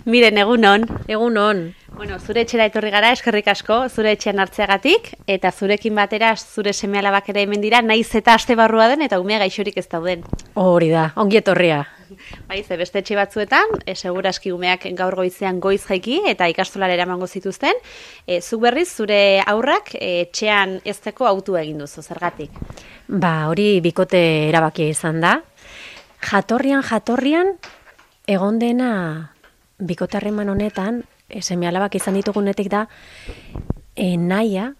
Miren, egunon. Egunon. Bueno, zure etxera etorri gara, eskerrik asko, zure etxean hartzeagatik, eta zurekin batera zure seme-alabak ere hemen dira, naiz eta aste barrua den, eta umea gaixorik ez dauden. Hori da, ongi etorria. Bai, ze beste etxe batzuetan, seguraski umeak gaur goizean goiz jaiki, eta ikastolara eramango zituzten, zuk berriz, zure aurrak etxean ezteko autua egin duzu, zergatik? Hori bikote erabakia izan da. Jatorrian, egon dena bikote harreman honetan, seme-alabak izan ditugunetik da, nahia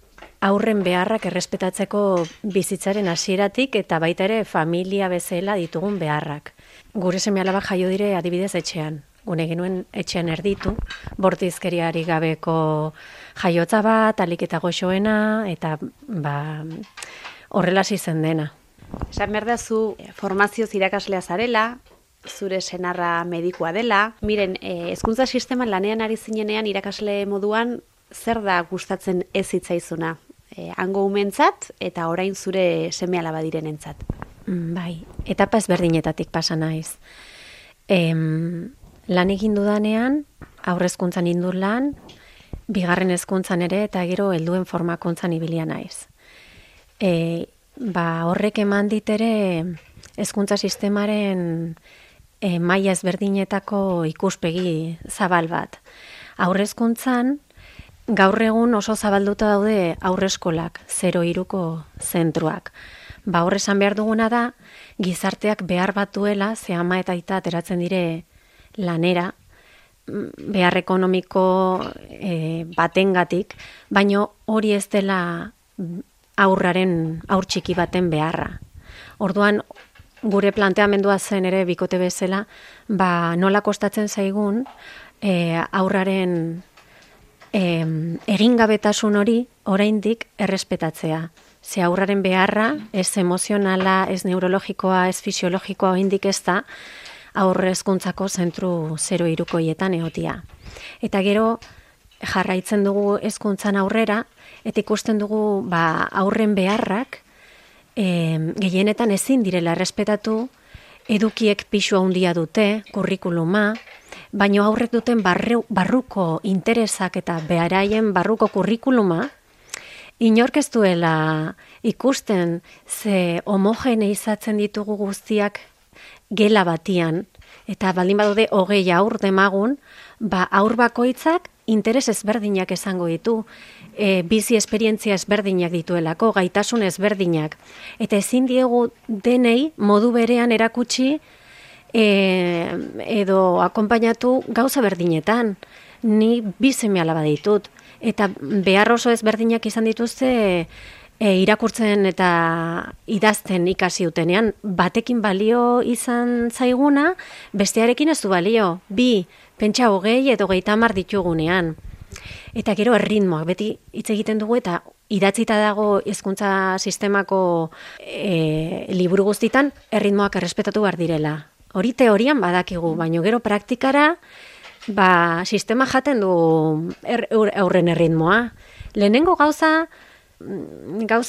aurren beharrak errespetatzeko bizitzaren hasieratik eta baita ere familia bezala ditugun beharrak. Gure seme-alabak jaio dire adibidez etxean. Gune genuen etxean erditu, bortizkeriari gabeko jaiotza bat, alik eta goxoena, eta horrela zen dena. Esan behar da zu formazioz irakaslea zarela, zure senarra medikua dela. Miren, hezkuntza sisteman lanean ari zinenean irakasle moduan zer da gustatzen ez hitzaizuna? Hango umentzat eta orain zure seme-alaba direnentzat. Bai, etapa ezberdinetatik pasa naiz. Lan egin dudanean, aurrezkuntzan indut lan, bigarren hezkuntzan ere eta gero helduen formakuntzan ibilia naiz. Horrek eman dit ere hezkuntza sistemaren maila ezberdinetako ikuspegi zabal bat. Aurrezkuntzan, gaur egun oso zabalduta daude aurreskolak, 0-3ko zentruak. Hor esan behar duguna da, gizarteak behar bat duela, ze ama eta aita ateratzen dire lanera, behar ekonomiko batengatik, baino hori ez dela aur txiki baten beharra. Orduan, gure planteamendua zen ere bikote bezala, nola kostatzen zaigun aurraren egingabetasun hori oraindik errespetatzea. Ze aurraren beharra, ez emozionala, ez neurologikoa, ez fisiologikoa oraindik ez da, aurre hezkuntzako zentru 0-3koietan egotia. Eta gero jarraitzen dugu hezkuntzan aurrera, eta ikusten dugu aurren beharrak gehienetan ezin direla errespetatu, edukiek pisu handia dute, kurrikuluma, baino aurrek duten barruko interesak eta beharaien barruko kurrikuluma, inork ez duela ikusten ze homogeneizatzen ditugu guztiak gela batian, eta baldin badaude 20 aur demagun, aur bakoitzak interes ezberdinak esango ditu, bizi esperientzia ezberdinak dituelako, gaitasun ezberdinak. Eta ezin diegu denei modu berean erakutsi edo akonpainatu gauza berdinetan. Ni bi seme-alaba ditut. Eta behar oso ezberdinak izan dituzte irakurtzen eta idazten ikasi utenean. Batekin balio izan zaiguna, bestearekin ez du balio. Pentsa 20 edo 30 ditugunean. Eta gero erritmoak, beti hitz egiten dugu eta idatzita dago hezkuntza sistemako liburu guztitan erritmoak errespetatu behar direla. Hori teorian badakigu, baino gero praktikara sistema jaten du aurren erritmoa. Lehenengo gauza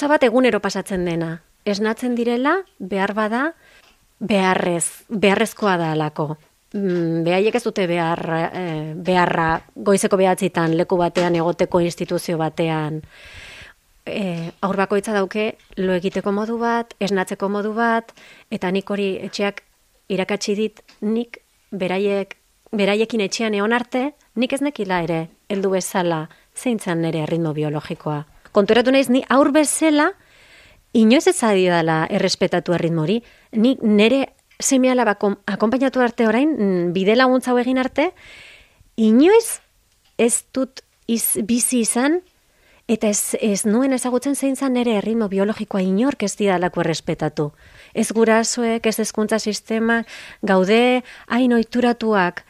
bat egunero pasatzen dena. Esnatzen direla, behar bada, beharrezkoa da alako. Behaiek ez dute beharra goizeko 9 leku batean egoteko instituzio batean. Aur bakoitza dauke lo egiteko modu bat, esnatzeko modu bat, eta nik hori etxeak irakatsi dit, nik beraiekin etxean egon arte, nik ez nekila ere, heldu bezala, zeintzan nire erritmo biologikoa. Konturatu naiz, ni aur bezala, inoiz ez adidala errespetatu erritmori, nik nire seme-alaba akonpainatu arte orain, bide laguntza hau egin arte, inoiz ez dut bizi izan, eta ez nuen ezagutzen zein zan nire erritmo biologikoa inork ez didalako errespetatu. Ez gurasoek, ez hezkuntza sistema, gaude hain ohituratuak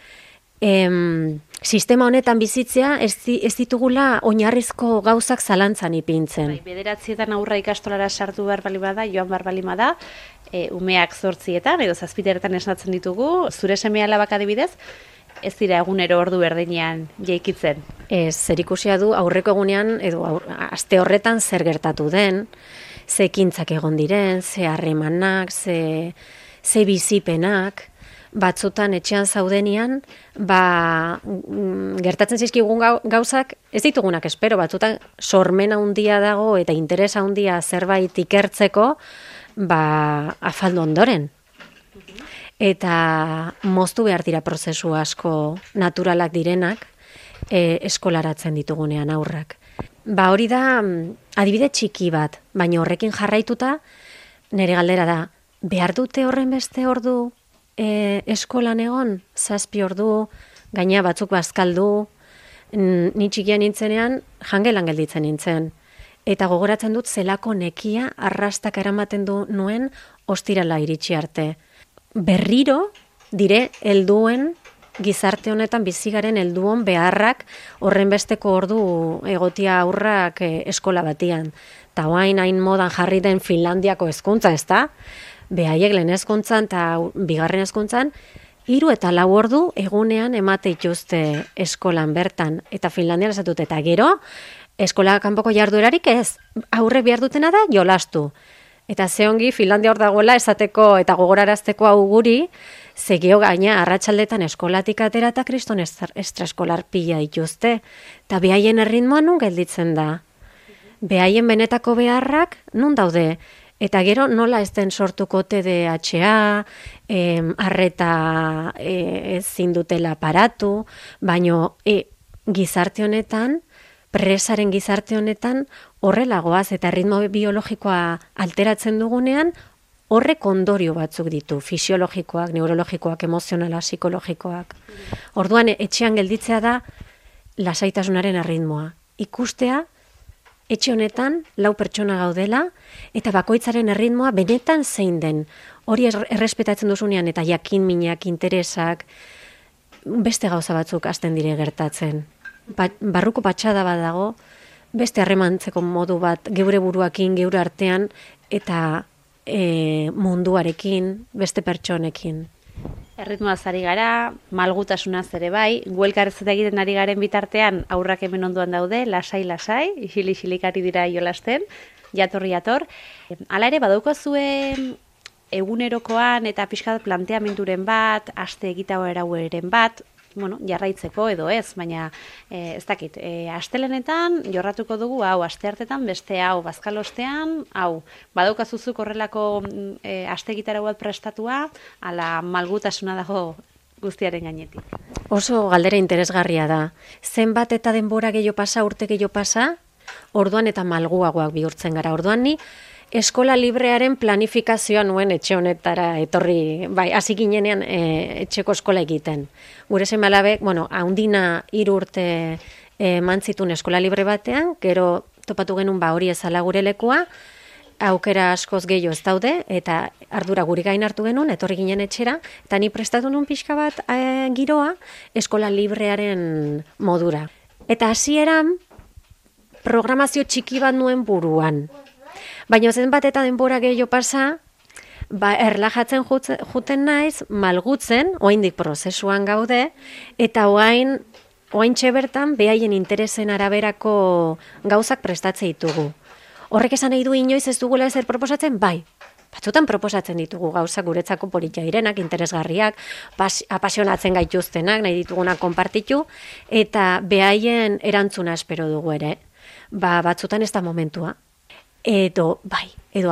sistema honetan bizitzea ez ditugula oinarrizko gauzak zalantzan ipintzen. 9etan aurra ikastolara sartu behar bali bada, joan behar bali bada, umeak 8etan edo 7etan esnatzen ditugu, zure seme-alabak adibidez, ez dira egunero ordu berdinean jaikitzen. Zerikusia du aurreko egunean edo aste horretan zer gertatu den, ze ekintzak egon diren, ze harremanak, ze bizipenak, batzutan etxean zaudenian, gertatzen zizkigun gauzak, ez ditugunak espero, batzutan sormena handia dago eta interesa handia zerbait ikertzeko, afaldu ondoren. Eta moztu behar dira prozesu asko naturalak direnak, eskolaratzen ditugunean aurrak. Hori da adibide txiki bat, baina horrekin jarraituta, nire galdera da, behar dute horren beste ordu eskolan egon, 7 ordu, gaina batzuk bazkaldu, ni txikian nintzenean jangelan gelditzen nintzen. Eta gogoratzen dut zelako nekia arrastak eramaten du nuen ostirala iritsi arte. Berriro dire helduen gizarte honetan bizigaren helduon beharrak horren besteko ordu egotia aurrak eskola batian. Ta orain hain modan jarri den Finlandiako hezkuntza, ezta? Behaiek lehen hezkuntzan eta bigarren hezkuntzan 3 eta 4 ordu egunean emate dituzte eskolan bertan eta Finlandian esatut eta gero eskola kanpoko jarduerarik ez. Aurrek behar dutena da jolastu. Eta ze ongi Finlandia hor dagoela esateko eta gogorarazteko hau guri, zegio gaina arratsaldetan eskolatik atera eta kriston estraeskolar pila dituzte. Eta behaien erritmoa nun gelditzen da. Behaien benetako beharrak nun daude. Eta gero nola ez den sortuko TDAH, arreta ezin dutela paratu, baino gizarte honetan, presaren gizarte honetan horrelagoaz eta ritmo biologikoa alteratzen dugunean horrek ondorio batzuk ditu, fisiologikoak, neurologikoak, emozionala, psikologikoak. Orduan etxean gelditzea da lasaitasunaren erritmoa. Ikustea etxe honetan 4 pertsona gaudela eta bakoitzaren erritmoa benetan zein den. Hori errespetatzen duzunean eta jakin minak, interesak, beste gauza batzuk hasten dire gertatzen. Barruko patxada bat dago, beste harremantzeko modu bat geure buruakin, geure artean eta munduarekin, beste pertsonekin. Erritmoaz ari gara, malgutasunaz ere bai, guelkarrezeta egiten ari garen bitartean aurrak hemen ondoan daude, lasai-lasai, isilik ari dira jolasten, jator. Hala ere, badaukozue egunerokoan eta pixkat planteamenduren bat, aste egitagoeraren bat, jarraitzeko edo ez, baina ez dakit, astelenetan jorratuko dugu hau, asteartetan beste hau, bazkalostean hau, badaukazuzuk horrelako aste egitarago bat prestatua, ala malgutasuna dago guztiaren gainetik. Oso galdera interesgarria da. Zenbat eta denbora gehiago pasa, urte gehiago pasa, orduan eta malguagoak bihurtzen gara. Orduan ni eskola librearen planifikazioa nuen etxe honetara etorri, hasi ginenean etxeko eskola egiten. Gure seme-alabek, haundina 3 urte mantzitun eskola libre batean, gero topatu genuen hori ezala gure lekua, aukera askoz gehiago ez daude, eta ardura guri gain hartu genuen, etorri ginen etxera, eta ni prestatu nuen pixka bat giroa eskola librearen modura. Eta hasieran programazio txiki bat nuen buruan. Baina zenbat eta denbora gehiago pasa, erlajatzen juten naiz, malgutzen, oraindik prozesuan gaude, eta oraintxe bertan behaien interesen araberako gauzak prestatze ditugu. Horrek esan nahi du inoiz ez dugula ezer proposatzen? Bai, batzutan proposatzen ditugu gauzak guretzako politia direnak, interesgarriak, apasionatzen gaituztenak, nahi ditugunak konpartitu, eta behaien erantzuna espero dugu ere. Batzutan ez da momentua. Edo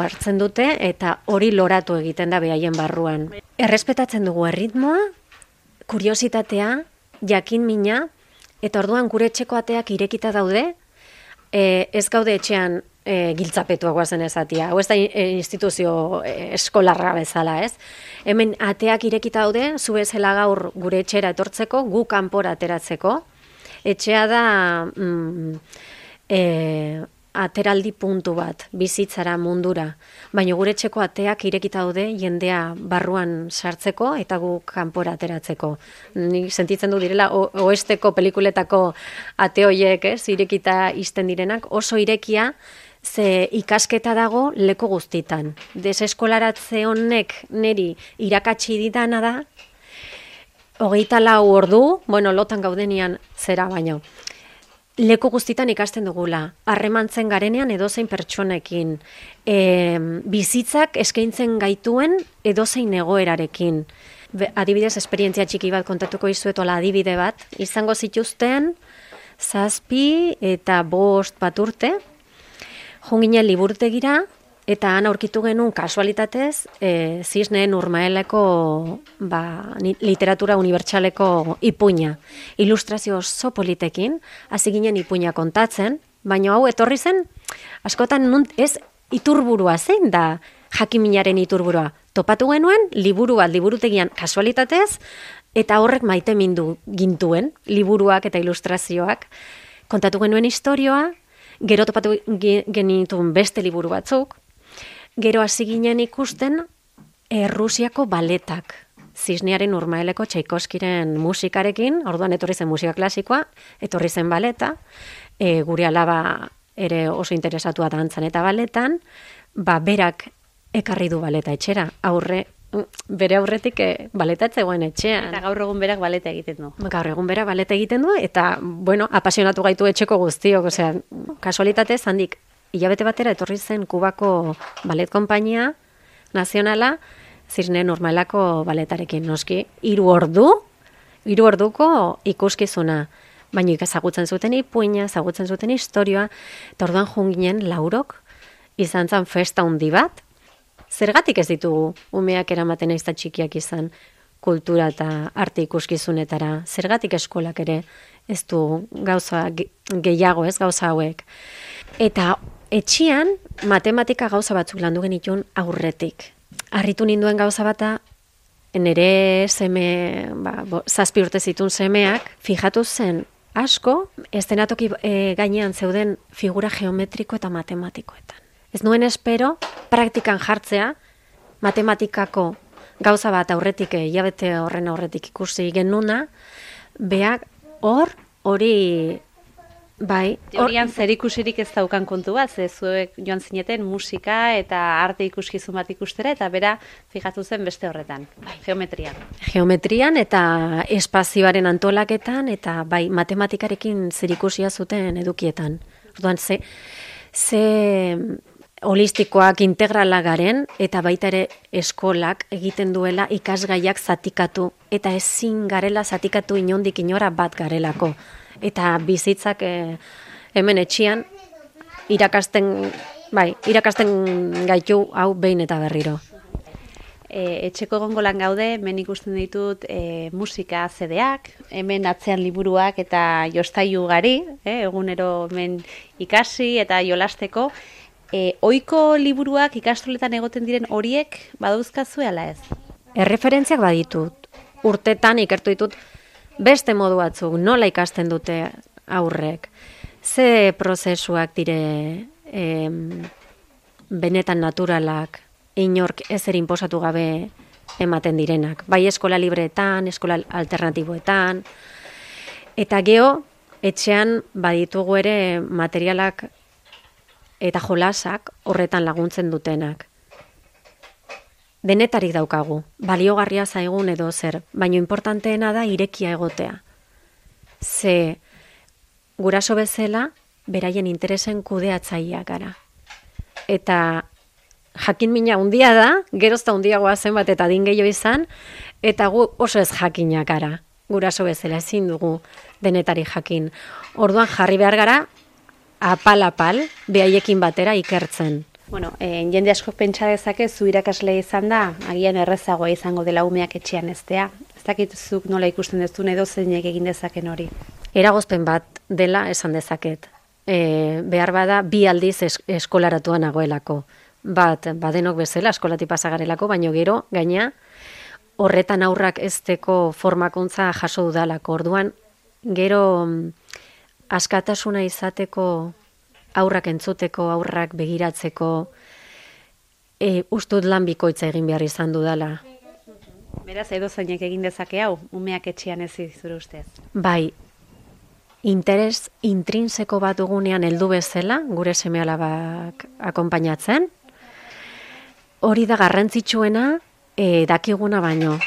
hartzen dute eta hori loratu egiten da behaien barruan. Errespetatzen dugu erritmoa, kuriositatea, jakin mina, eta orduan gure etxeko ateak irekita daude, ez gaude etxean giltzapetuak guazen ezatia, hau ez da instituzio eskolarra bezala, ez? Hemen ateak irekita daude, zu bezala gaur gure etxera etortzeko, gu kanpora ateratzeko. Etxea da ateraldi puntu bat, bizitzara, mundura. Baina gure etxeko ateak irekita daude jendea barruan sartzeko eta gu kanpora ateratzeko. Nik sentitzen du direla oesteko pelikuletako ate hoiek, irekita izten direnak, oso irekia, ze ikasketa dago leku guztitan. Deseskolaratze honek niri irakatsi ditana da, 24 ordu, lotan gaudenian zera baino. Leku guztitan ikasten dugula, harremantzen garenean edozein pertsonekin, bizitzak eskaintzen gaituen edozein egoerarekin. adibidez, esperientzia txiki bat kontatuko izuetola adibide bat, izango zituzten 7 eta 5 bat urte, junginen liburutegira, eta han aurkitu genuen kasualitatez, Zisneen Urmaeleko literatura unibertsaleko ipuina. Ilustrazio oso politekin, hasi ginen ipuina kontatzen, baina hau etorri zen, askotan ez iturburua zein da jakiminaren iturburua. Topatu genuen, liburu bat liburutegian kasualitatez, eta horrek maite mindu gintuen, liburuak eta ilustrazioak. Kontatu genuen istorioa, gero topatu genituen beste liburu batzuk, gero hasi ginen ikusten Rusiako baletak. Zisnearen Urmaeleko Tchaikovskiren musikarekin, orduan etorri zen musika klasikoa, etorri zen baleta, gure alaba ere oso interesatua dantzan eta baletan, berak ekarri du baleta etxera, bere aurretik baleta etzegoen etxean. Eta gaur egun berak baleta egiten du. Gaur egun berak baleta egiten du, eta, apasionatu gaitu etxeko guztiok, kasualitatez handik, hilabete batera etorri zen Kubako balet konpainia nazionala, Zisneen Urmaelako baletarekin, noski, 3 orduko ikuskizuna, baina ezagutzen zuten ipuina, ezagutzen zuten historioa, eta orduan junginen laurok, izan zen festa handi bat. Zergatik ez ditugu umeak eramaten aizta txikiak izan kultura eta arte ikuskizunetara, zergatik eskolak ere ez du gauza gehiago, ez gauza hauek. Eta etxian matematika gauza batzuk landu genitun aurretik. Harritu ninduen gauza bata, nire seme, 7 urte zitun semeak, fijatu zen asko, eszenatoki gainean zeuden figura geometriko eta matematikoetan. Ez nuen espero, praktikan jartzea, matematikako gauza bat aurretik, hilabete horren aurretik ikusi genuna, beak hori, bai. Teorian zer ikusirik ez daukan kontu bat, ze zuek joan zineten musika eta arte ikuskizun bat ikustera, eta bera fijatu zen beste horretan, geometrian. Geometrian eta espazioaren antolaketan, eta bai, matematikarekin zer ikusia zuten edukietan. Orduan, ze holistikoak integrala garen, eta baita ere eskolak egiten duela ikasgaiak zatikatu, eta ezin garela zatikatu inondik inora bat garelako. Eta bizitzak hemen etxian irakasten gaitu hau behin eta berriro. Etxeko egongolan gaude, hemen ikusten ditut musika CD-ak, hemen atzean liburuak eta jostailu gari, egunero hemen ikasi eta jolasteko. Ohiko liburuak ikastoletan egoten diren horiek badauzkazue ala ez? Erreferentziak baditut, urtetan ikertu ditut beste modu batzuk, nola ikasten dute aurrek, ze prozesuak dire benetan naturalak, inork ezer inposatu gabe ematen direnak, bai eskola libreetan, eskola alternatiboetan, eta geho, etxean baditugu ere materialak eta jolasak horretan laguntzen dutenak. Denetarik daukagu, baliogarria zaigun edo zer, baina importanteena da irekia egotea. Ze guraso bezala, beraien interesen kudeatzaileak gara. Eta jakin mina handia da, gerozta handiagoa zenbat eta adin gehiago izan, eta gu oso ez jakinak gara. Guraso bezala ezin dugu denetari jakin. Orduan jarri behar gara, apal, behaiekin batera ikertzen. Bueno, jende asko pentsa dezake zu irakasle izan da, agian errezagoa izango dela umeak etxean eztea. Ez dakituzuk nola ikusten dezun edo zeinek egin dezaken hori. Eragozpen bat dela esan dezaket. Behar bada 2 aldiz eskolaratuan nagoelako. Badenok bezala eskolati pasagarelako, baino gero, gaina, horretan aurrak ezteko formakuntza jaso dudalako. Orduan, gero askatasuna izateko, aurrak entzuteko, aurrak begiratzeko, ustut lan bikoitza egin behar izan dudala. Beraz, edo zeinek egin dezake hau, umeak etxean ez zure ustez? Bai, interes intrinseko bat dugunean heldu bezala, gure seme-alabak akonpainatzen, hori da garrantzitsuena dakiguna baino.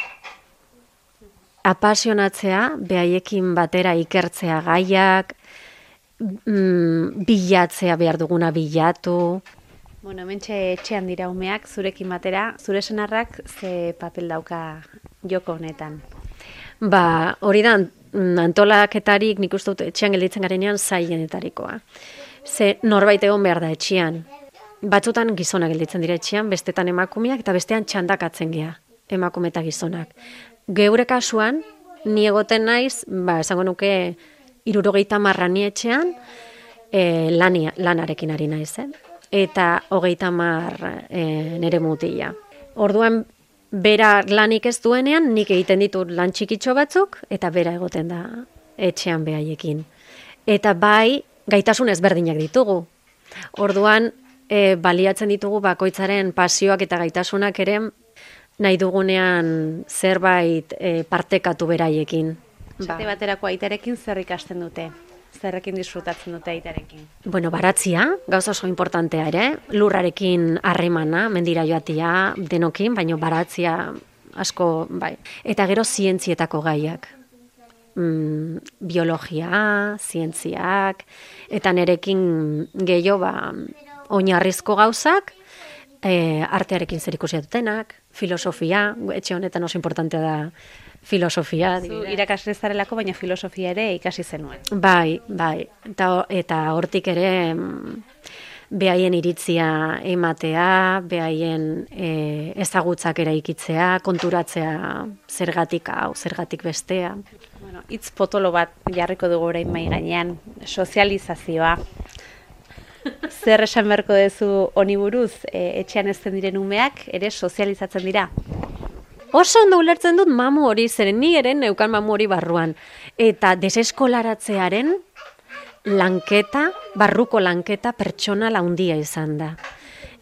Apasionatzea, behaiekin batera ikertzea gaiak, bilatzea behar duguna bilatu. Bueno, hementxe etxean dira umeak, zurekin batera, zure senarrak ze papel dauka joko honetan? Ba, hori da antolaketarik nik uste dut etxean gelditzen garenean zailenetarikoa. Ze norbait egon behar da etxean. Batzutan gizonak gelditzen dira etxean, bestetan emakumeak eta bestean txandakatzen gea, emakume eta gizonak. Geure kasuan, ni egoten naiz, esango nuke 70 ni etxean, lanarekin ari naiz, eta 30 nere mutila. Orduan, bera lanik ez duenean, nik egiten ditut lan txikitxo batzuk, eta bera egoten da etxean behaiekin. Eta bai, gaitasun ezberdinak ditugu. Orduan, baliatzen ditugu bakoitzaren pasioak eta gaitasunak ere nahi dugunean zerbait partekatu beraiekin. Esate baterako aitarekin zer ikasten dute? Zerrekin disfrutatzen dute aitarekin? Bueno, baratzia, gauza oso importantea ere, lurrarekin harremana, mendira joatia denokin, baino baratzia asko, bai. Eta gero zientzietako gaiak. Biologia, zientziak, eta nerekin gehiago oinarrizko gauzak, artearekin zerikusia dutenak, filosofia, etxe honetan oso importantea da filosofia. Zu irakasle zarelako, baina filosofia ere ikasi zenuen. Bai. Eta hortik ere behaien iritzia ematea, behaien ezagutzak eraikitzea, konturatzea zergatik hau, zergatik bestea. Bueno, hitz potolo bat jarriko dugu orain mahai gainean, sozializazioa. Zer esan beharko duzu honi buruz, etxean ezten diren umeak ere sozializatzen dira? Oso ondo ulertzen dut mamu hori, zeren ni ere neukan mamu hori barruan. Eta deseskolaratzearen lanketa, barruko lanketa pertsonal handia izan da.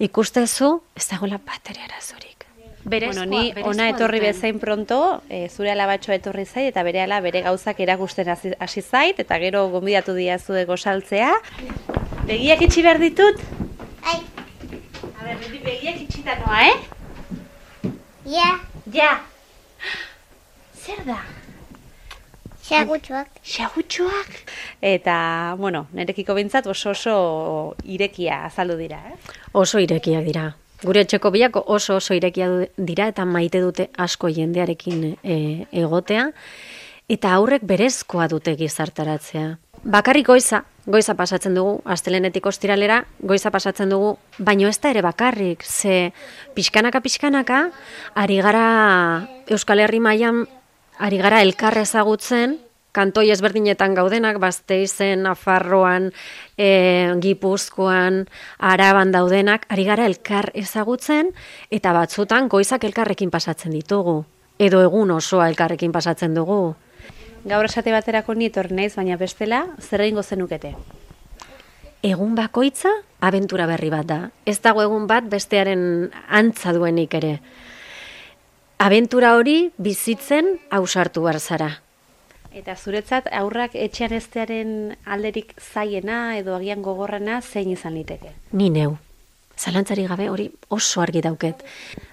Ikustezu, ez dagoela bateria arazorik. Bueno, ni ona etorri bezain pronto, zure alabatxoa etorri zait, eta berehala bere gauzak erakusten hasi zait, eta gero gonbidatu diazu gozaltzea. Begiak itxi behar ditut? Ai. A ber, begiak itxita noa, Ja. Ja. Zer da? Xagutxoak. Xagutxoak. Eta, bueno, nerekiko bintzat oso irekia azaldu dira, Oso irekiak dira. Gure etxeko biak oso irekia dira eta maite dute asko jendearekin egotea. Eta aurrek berezkoa dute gizartaratzea. Bakarrik goiza pasatzen dugu, astelehenetik ostiralera, goiza pasatzen dugu, baino ez da ere bakarrik, ze pixkanaka, ari gara Euskal Herri mailan, ari gara elkar ezagutzen, kantoi ezberdinetan gaudenak, Gasteizen, Nafarroan, Gipuzkoan, Araban daudenak, ari gara elkar ezagutzen, eta batzutan goizak elkarrekin pasatzen ditugu, edo egun osoa elkarrekin pasatzen dugu. Gaur esate baterako ni etorri naiz, baina bestela, zer egingo zenukete? Egun bakoitza, abentura berri bat da. Ez dago egun bat bestearen antza duenik ere. Abentura hori bizitzen ausartu behar zara. Eta zuretzat aurrak etxean eztearen alderik zaiena edo agian gogorrena zein izan liteke? Ni neu. Zalantzari gabe hori oso argi dauket.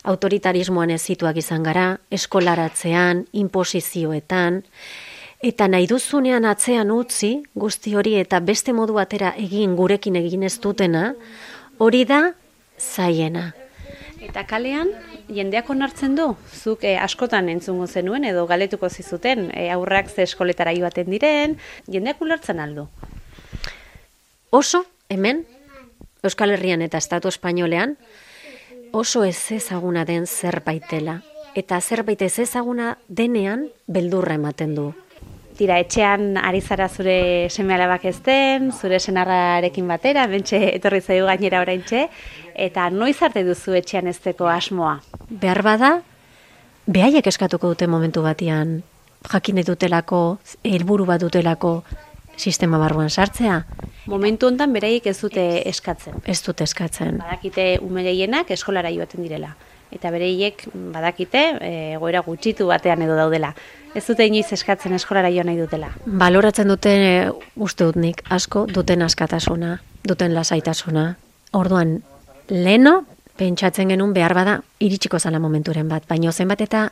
Autoritarismoan ezituak izan gara, eskolaratzean, inposizioetan, eta nahi duzunean atzean utzi, guzti hori eta beste modu batera egin gurekin egin ez dutena, hori da zaiena. Eta kalean, jendeak onartzen du? Zuk askotan entzungo zenuen edo galetuko zizuten, aurrak ze eskoletara joaten diren, jendeak ulertzen aldu? Oso, hemen, Euskal Herrian eta Estatu Espainolean, oso ez ezaguna den zerbaitela. Eta zerbait ez ezaguna denean beldurra ematen du. Tira, etxean ari zara zure seme-alabak ezten, zure senarrarekin batera, bentxe etorri zaigu gainera oraintxe, eta noiz arte duzu etxean ezteko asmoa? Behar bada, behaiek eskatuko dute momentu batean, jakin dutelako, helburu bat dutelako sistema barruan sartzea. Momentu hontan beraiek ez dute eskatzen. Ez dute eskatzen. Badakite ume gehienak eskolara joaten direla. Eta bereiek badakite egoera gutxitu batean edo daudela. Ez dute inoiz eskatzen eskolara joan nahi dutela. Baloratzen dute uste dut nik asko duten askatasuna, duten lasaitasuna. Orduan, leheno, pentsatzen genuen behar bada iritsiko zala momenturen bat, baino zenbat eta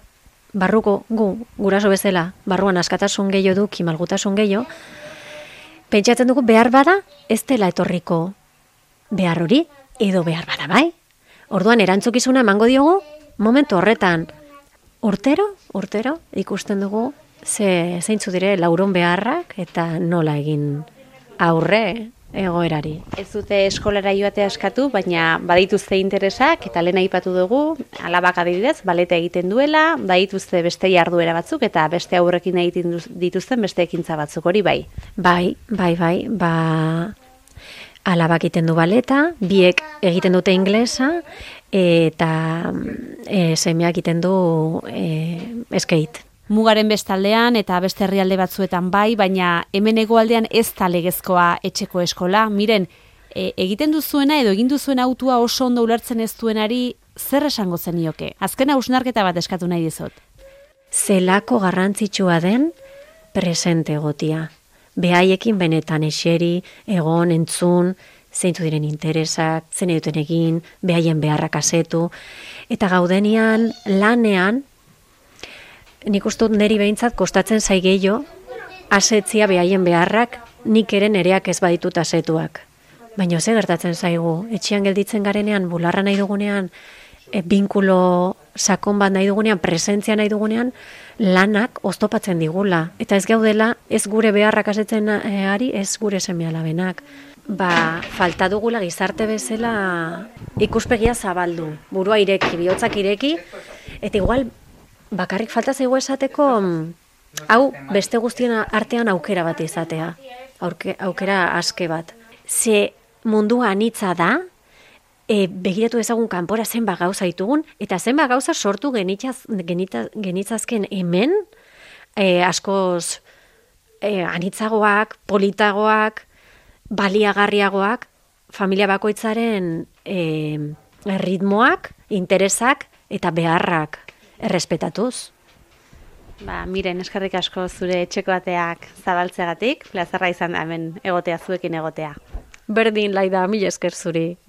barruko guraso bezala, barruan askatasun gehiago du, malgutasun gehiago, pentsatzen dugu behar bada ez dela etorriko behar hori, edo behar bada bai. Orduan erantzukizuna emango diogu momentu horretan. Urtero ikusten dugu zeintzu dire lauron beharrak eta nola egin aurre egoerari. Ez dute eskolara joatea eskatu, baina badituzte interesak, eta lehen aipatu dugu, alabak adibidez, baleta egiten duela, badituzte beste jarduera batzuk, eta beste aurrekin egiten dituzten beste ekintza batzuk, hori bai. Bai, alabak egiten du baleta, biek egiten dute inglesa, eta semeak egiten du skate. Mugaren bestaldean eta beste herrialde batzuetan bai, baina hemen hegoaldean ez da legezkoa etxeko eskola. Miren, egiten duzuena edo egin duzuen autua oso ondo ulertzen ez duenari zer esango zenioke? Azken hausnarketa bat eskatu nahi dizut. Zelako garrantzitsua den presente egotia. Behaiekin benetan eseri, egon, entzun, zeintu diren interesak, zen duten egin, behaien beharrak asetu. Eta gaudenian, lanean, nik uste dut niri behintzat kostatzen zaigeio asetzia behaien beharrak nik ere nereak ez baditut asetuak. Baina ze gertatzen zaigu, etxean gelditzen garenean, bularra nahi dugunean, binkulo sakon bat nahi dugunean, presentzia nahi dugunean, lanak oztopatzen digula. Eta ez gaudela, ez gure beharrak asetzen ari, ez gure seme-alabenak. Falta dugula gizarte bezala ikuspegia zabaldu, burua ireki, bihotzak ireki, eta igual bakarrik falta zaigu esateko, hau beste guztien artean aukera bat izatea, aukera aske bat. Ze mundua anitza da, begiratu ezagun kanpora zenbat gauza ditugun, eta zenbat gauza sortu genitzazken hemen, askoz anitzagoak, politagoak, baliagarriagoak, familia bakoitzaren ritmoak, interesak eta beharrak errespetatuz. Miren, eskerrik asko zure etxeko ateak zabaltzeagatik, plazerra izan da hemen egotea, zuekin egotea. Berdin, Laida, mila esker zuri.